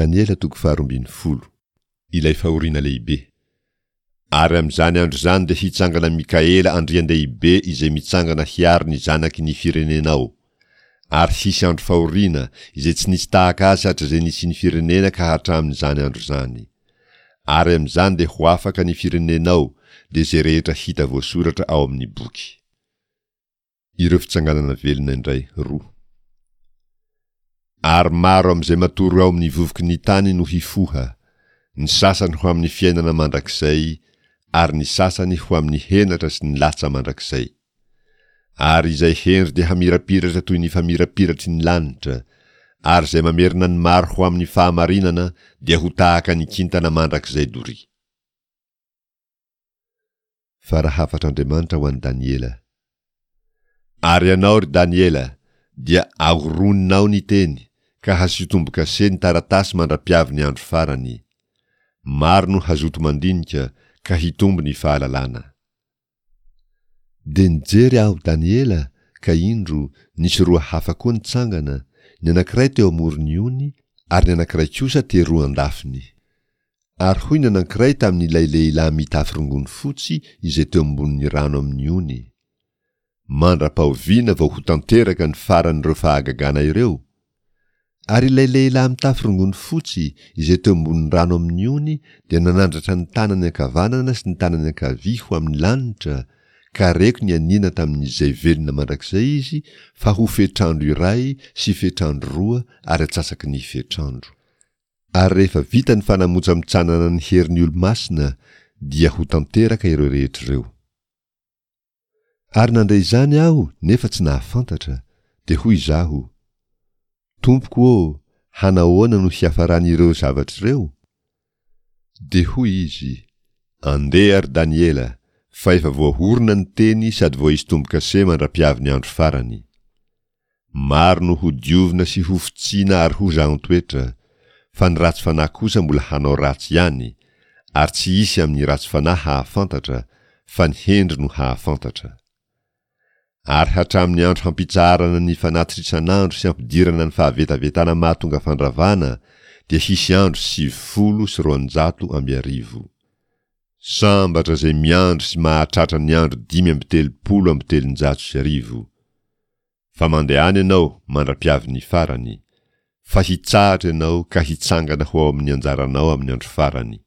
Daniela toko faharoambinifolo. Ilay fahoriana lehibe. Ary amin'izany andro izany dia hitsangana Mikaela andrian-dehibe izay mitsangana hiaro ny zanaky ny firenenao. Ary hisy andro fahoriana izay tsy nisy tahaka azy hatrizay nisian'ny firenena ka hatramin'izany andro izany. Ary amin'izany dia ho afaka ny firenenao, dia izay rehetra hita voasoratra ao amin'ny boky. Ireo fitsanganana velona indray roa. Ary maro amin'izay matory ao amin'ny vovoky ny tany no hifoha, ny sasany ho amin'ny fiainana mandrakizay, ary ny sasany ho amin'ny henatra sy ny latsa mandrakizay. Ary izay hendry dia hamirapiratra toy ny famirapiratry ny lanitra, ary izay mamerina ny maro ho amin'ny fahamarinana dia ho tahaka ny kintana mandrakizay doria. Fa raha hafatr'Andriamanitra ho an'i Daniela. Ary ianao, ry Daniela, dia ahoroninao ny teny, ka hasio tombo-kase ny taratasy mandra-piavy ny andro farany. Maro no hazoto mandinika, ka hitombo ny fahalalana. Dia nijery aho, Daniela, ka indro, nisy roa hafa koa nitsangana, ny anankiray teo amoron'ny ony, ary ny anankiray kosa teroa an-dafiny. Ary hoy ny anankiray tamin'ilay lehilahy mitafy rongony fotsy izay teo ambonin'ny rano amin'ny ony, Mandra-pahoviana vao ho tanteraka ny faran'ireo fahagagana ireo? Ary ilay lehilahy mitafy rongony fotsy izay teo ambonin'ny rano amin'ny ony dia nanandratra ny tanany ankavanana sy ny tanany ankavia ho amin'ny lanitra, ka reko nianiana tamin'Izay velona mandrakizay izy fa ho fetr'andro iray sy fetr'andro roa ary atsasaky ny fetr'andro. Ary rehefa vita ny fanamontsamotsanana ny herin'ny olo-masina dia ho tanteraka ireo rehetra ireo. Ary nandre izany aho nefa tsy nahafantatra, dia hoy izaho, Tompoko ô, hanahoana no hiafaran'ireo zavatra ireo? Dia hoy izy, Andeha ry Daniela, fa efa voahorona ny teny sady voaisy tombo-kase mandra-piavin'ny andro farany. Maro no hodiovina sy hofotsiana ary hozahan-toetra, fa ny ratsy fanahy kosa mbola hanao ratsy ihany, ary tsy hisy amin'ny ratsy fanahy hahafantatra, fa ny hendry no hahafantatra. Ary hatramin'ny andro hampitsaharana ny fanatitra isan'andro sy hampidirana ny fahavetavetana mahatonga fandravana dia hisy andro 1290. Sambatra izay miandry sy mahatratra ny andro 1335. Fa mandehana ianao mandra-piavin'ny farany, fa hitsahatra ianao ka hitsangana ho ao amin'ny anjaranao amin'ny andro farany.